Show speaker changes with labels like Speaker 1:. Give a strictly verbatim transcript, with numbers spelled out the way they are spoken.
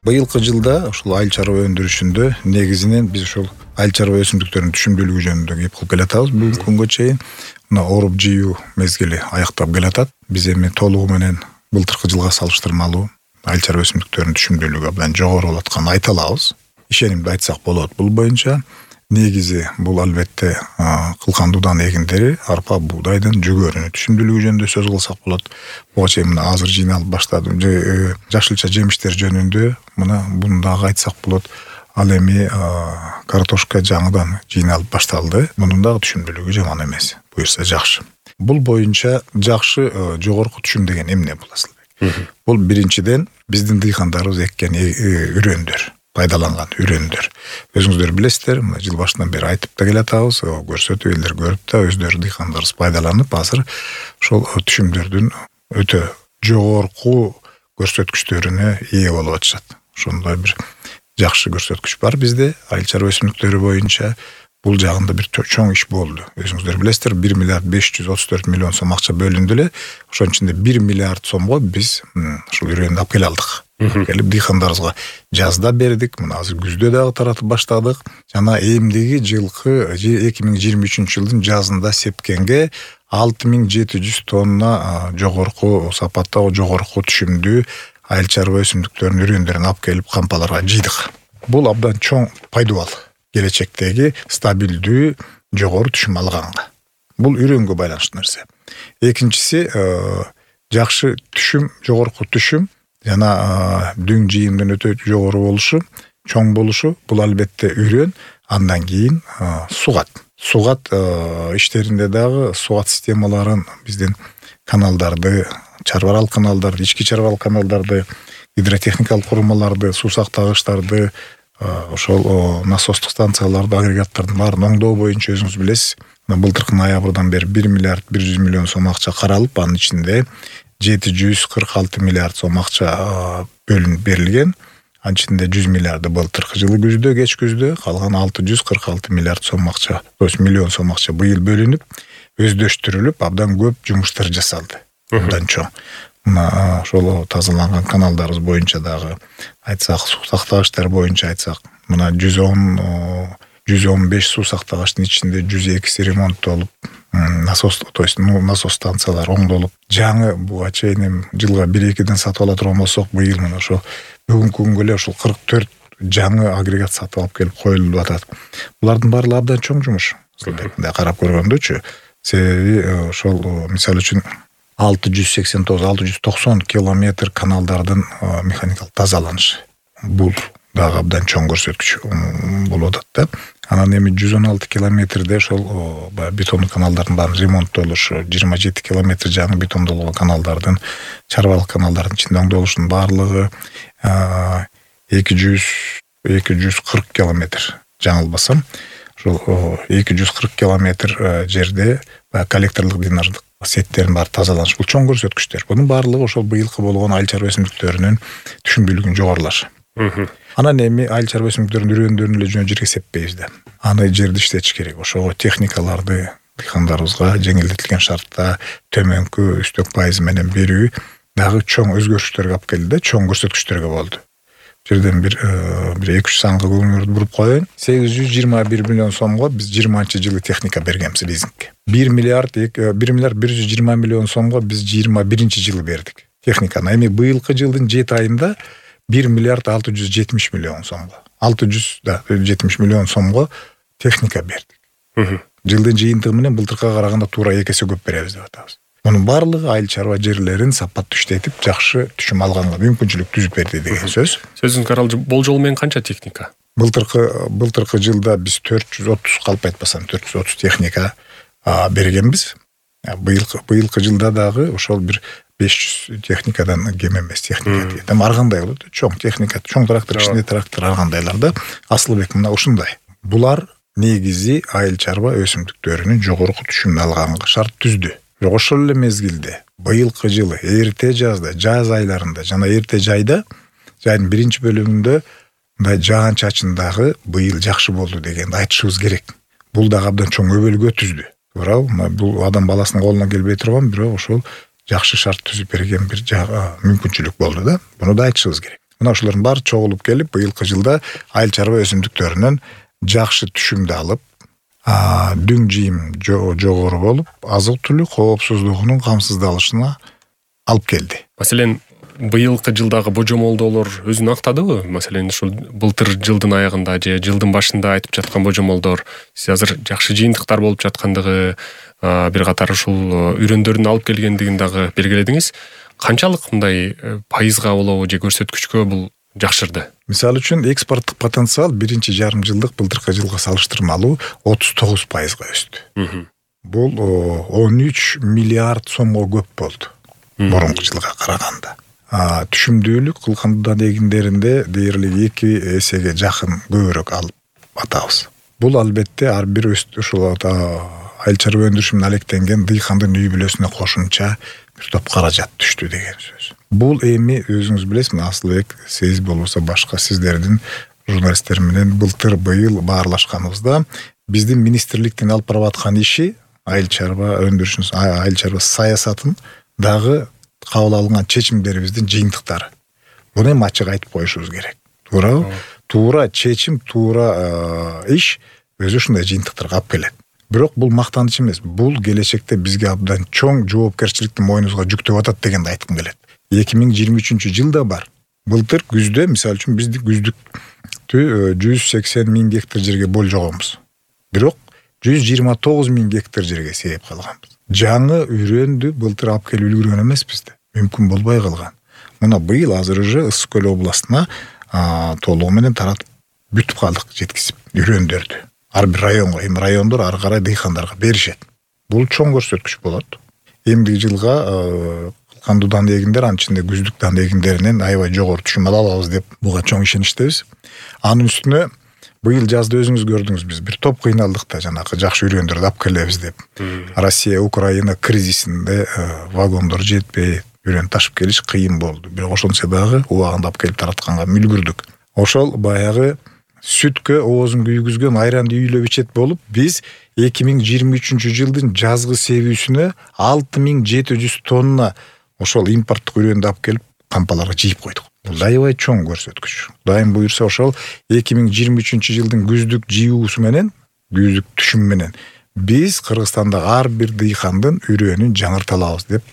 Speaker 1: Быйылкы жылда ушул айыл чарба өндүрүшүндө негизинен биз ушул айыл чарба өсүмдүктөрүнүн түшүмдүүлүгү жөнүндө кеп кылып келатабыз. Бүгүнкү күнгө чейин мына оруп жыйуу мезгили аяктап келатат. Биз эми толугу менен былтыркы жылга салыштырмалуу айыл чарба өсүмдүктөрүнүн түшүмдүүлүгү абдан жогору болуп атканын айта алабыз. Ишенимди айтсак болот. Бул боюнча негизи бул албетте кылкан дуудан эгиндери, арпа, буудайдын жүгөрүнүн түшүмдүүлүгү жөнүндө сөз кылсак болот. Буга чейин мына азыр жыйналып баштады. Жашылча жемиштер жөнүндө мына буну дагы айтсак болот. Ал эми картошка жаңыдан жыйналып башталды. Мунун дагы түшүмдүүлүгү жаман эмес. Буюрса жакшы. Бул боюнча жакшы жогорку түшүм деген эмне бул Асылбек? Бул биринчиден биздин дыйкандарыбыз эккен үрөндөр, пайдаланган үрөндөр. Өзүңүздөр билесиздер, мына жыл башынан бери айтып да келатабыз, көрсөтүп элдер көрүп да өздөрү дыйкандарыбыз пайдаланып, азыр ошол түшүмдөрдүн өтө жогорку көрсөткүчтөрүнө ээ болуп атышат. Ошондой бир жакшы көрсөткүч бар бизде айыл чарба өсүмдүктөрү боюнча. Бул жагында бир чоң иш болду. Өзүңүздөр билесиздер, бир миллиард беш жүз отуз төрт миллион сом акча бөлүндү эле. Ошонун ичинде бир миллиард сомго биз ушул үрөндү алып келе алдык. Келип дыйкандарыбызга жазда бердик. Мына азыр күздө дагы таратып баштадык. Жана эмдиги жылкы эки миң жыйырма үчүнчү жылдын жазында сепкенге алты миң жети жүз тонна жогорку сапатта, жогорку түшүмдүү айыл чарба өсүмдүктөрүнүн үрөндөрүн алып келип кампаларга жыйдык. Бул абдан чоң пайдубал. Келечектеги стабилдүү жогору түшүм алганга. Бул үрөнгө байланыштуу нерсе. Экинчиси жакшы түшүм, жогорку түшүм жана дүң жыйымдын өтө жогору болушу, чоң болушу. Бул албетте үрөн, андан кийин сугат. Сугат иштеринде дагы сугат системаларын биздин каналдарды, чарбаралык каналдарды, ички чарбаралык каналдарды, гидротехникалык курулмаларды, суу сактагычтарды, ошол насостук станцияларды, агрегаттардын баарын оңдоо боюнча өзүңүз билесиз. Былтыркы ноябрдан бери бир миллиард бир жүз миллион сом акча каралып, анын ичинде жети жүз кырк алты миллиард сом акча бөлүнүп берилген. Анын ичинде жүз миллиарды былтыркы жылы күздө, кеч күздө, калган алты жүз кырк алты миллиард сом акча, то есть миллион сом акча быйыл бөлүнүп, өздөштүрүлүп, абдан көп жумуштар жасалды. Абдан чоң. Мына ошол тазаланган каналдарыбыз боюнча дагы айтсак, суу сактагычтар боюнча айтсак, мына жүз он жүз он беш суу сактагычтын ичинде жүз экиси ремонттолуп, насос, то есть насос станциялары оңдолуп, жаңы буга чейин жылга бир экиден сатып ала турган болсок, быйыл мына ошо бүгүнкү күнгө эле ошол кырк төрт жаңы агрегат сатып алып келип коюлуп атат. Булардын баары абдан чоң жумуш. Мындай карап көргөндөчү, себеби ошол мисалы үчүн алты жүз сексен тогуз алты жүз токсон километр каналдардын механикалык тазаланышы. Бул дагы абдан чоң көрсөткүч болуп атат да. Анан эми жүз он алты километрде ошол бетондук каналдардын баарын ремонттолушу, жыйырма жети километр жаңы бетондолгон каналдардын, чарбалык каналдардын ичинде оңдолушунун баардыгы эки жүз кырк километр жаңылбасам, ошол эки жүз кырк километр жерде коллекторлук дренаждык сеттерин баары тазаланыш. Бул чоң көрсөткүчтөр. Бунун баардыгы ошол быйылкы болгон айыл чарба өсүмдүктөрүнүн түшүмдүүлүгүнүн жогорулашы. Анан эми айыл чарба өсүмдүктөрүнүн үрөндөрүн эле жөн жерге сеппейбиз да. Аны жерди иштетиш керек. Ошого техникаларды дыйкандарыбызга жеңилдетилген шартта төмөнкү үстөк пайызы менен берүү дагы чоң өзгөрүштөргө алып келди да, чоң көрсөткүчтөргө болду. Жерден бир бир эки үч санга көңүлүңүздү буруп коеюн. сегиз жүз жыйырма бир миллион сомго биз жыйырманчы жылы техника бергенбиз лизингке. бир миллиард бир миллиард бир жүз жыйырма миллион сомго биз жыйырма биринчи жылы бердик техниканы. Эми быйылкы жылдын жети айында бир миллиард алты жүз жетимиш миллион сомго, алты жүз жетимиш миллион сомго техника бердик. Жылдын жыйынтыгы менен былтыркыга караганда туура эки эсе көп беребиз деп атабыз. Мунун баардыгы айыл чарба жерлерин сапаттуу иштетип, жакшы түшүм алганга мүмкүнчүлүк түзүп берди деген сөз.
Speaker 2: Сөзүңүзгө каралды, болжол менен канча техника?
Speaker 1: Былтыркы былтыркы жылда биз төрт жүз отуз, калп айтпасам төрт жүз отуз техника бергенбиз. Быйылкы быйылкы жылда дагы ошол бир беш жүз техникадан кем эмес техника деген. Ар кандай болот? Чоң техника, чоң трактор ичинде трактор ар кандайларда. Асылбек мына ушундай. Булар негизи айыл чарба өсүмдүктөрүнүн жогорку түшүмүн алганга шарт түздү. Бирок ошол эле мезгилде быйылкы жылы эрте жазда, жаз айларында жана эрте жайда, жайдын биринчи бөлүгүндө мындай жаан-чачын дагы быйыл жакшы болду дегенди айтышыбыз керек. Бул дагы абдан чоң өбөлгө түздү. Туурабы? Бул адам баласынын колуна келбей турган, бирок ошол жакшы шарт түзүп берген бир мүмкүнчүлүк болду да. Буну да айтышыбыз керек. Мына ушулардын баары чогулуп келип, быйылкы жылда айыл чарба өсүмдүктөрүнөн жакшы түшүмдү алып, дүң жыйым жогору болуп, азык-түлүк коопсуздугунун камсыздалышына алып келди.
Speaker 2: Маселен, быйылкы жылдагы божомолдоолор өзүн актадыбы? Маселен, ушул былтыр жылдын аягында же жылдын башында айтып жаткан божомолдор, сиз азыр жакшы жыйынтыктар болуп жаткандыгы, бир катар ушул үрөндөрдүн алып келгендигин дагы белгиледиңиз. Канчалык мындай пайызга болобу же көрсөткүчкө бул жакшырды? Мисалы
Speaker 1: үчүн экспорттук потенциал биринчи жарым жылдык былтыркы жылга салыштырмалуу отуз тогуз пайызга өстү. Бул он үч миллиард сомго көп болду мурунку жылга караганда. Түшүмдүүлүк кылкандыдан эгиндеринде дээрлик эки эсеге жакын көбүрөөк алып атабыз. Бул албетте ар бир ушул айыл чарба өндүрүшүнөн алектенген дыйкандын үй бүлөсүнө кошумча бир топ каражат түштү деген сөз. Бул эми өзүңүз билесизби, Асылбек, сиз болбосо башка сиздердин журналисттер менен былтыр быйыл баарлашканыбызда биздин министрликтин алып барып аткан иши айыл чарба өндүрүшүн, айыл чарба саясатын дагы кабыл алынган чечимдерибиздин жыйынтыктары. Буну эми ачык айтып коюшубуз керек. Туурабы? Туура чечим, туура иш өзү ушундай жыйынтыктарга алып келет. Бирок бул мактаныч эмес. Бул келечекте бизге абдан чоң жоопкерчиликти мойнубузга жүктөп атат дегенди айткым келет. эки миң жыйырма үчүнчү жылда бар. Былтыр күздө, мисалы үчүн, биздик күздүктү жүз сексен миң гектар жерге болжогонбуз. Бирок жүз жыйырма тогуз миң гектар жерге сейип калганбыз. Жаңы үрөндү былтыр алып келип үлгүргөн эмеспиз да. Мүмкүн болбой калган. Мына быйыл азыр уже Ысык көл областына толугу менен таратып бүтүп калдык, жеткизип үрөндөрдү. Ар бир районго, эми райондор ары карай дыйкандарга беришет. Бул чоң көрсөткүч болот. Эмдиги жылга кылкандуу эгиндер, анын ичинде күздүк дан эгиндеринен аябай жогору түшүм ала алабыз деп буга чоң ишеничтебиз. Анын үстүнө быйыл жазда өзүңүз көрдүңүз, биз бир топ кыйналдык да, жанагы жакшы үрөндөрдү алып келебиз деп. Россия Украина кризисинде вагондор жетпей, үрөн ташып келиш кыйын болду. Бирок ошончо дагы убагында алып келип таратканга мүлгүрдүк. Ошол баягы сүткө оозун күйгүзгөн айранды үйлөп ичет болуп, биз эки миң жыйырма үчүнчү жылдын жазгы себүүсүнө алты миң жети жүз тонна ошол импорттук үрөндү алып келип кампаларга жыйып койдук. Бул аябай чоң көрсөткүч. Кудайым буйрса ошол эки миң жыйырма үчүнчү жылдын күздүк жыюусу менен, күздүк түшүм менен биз Кыргызстандагы ар бир дыйкандын үрөөнүн жаңырта алабыз деп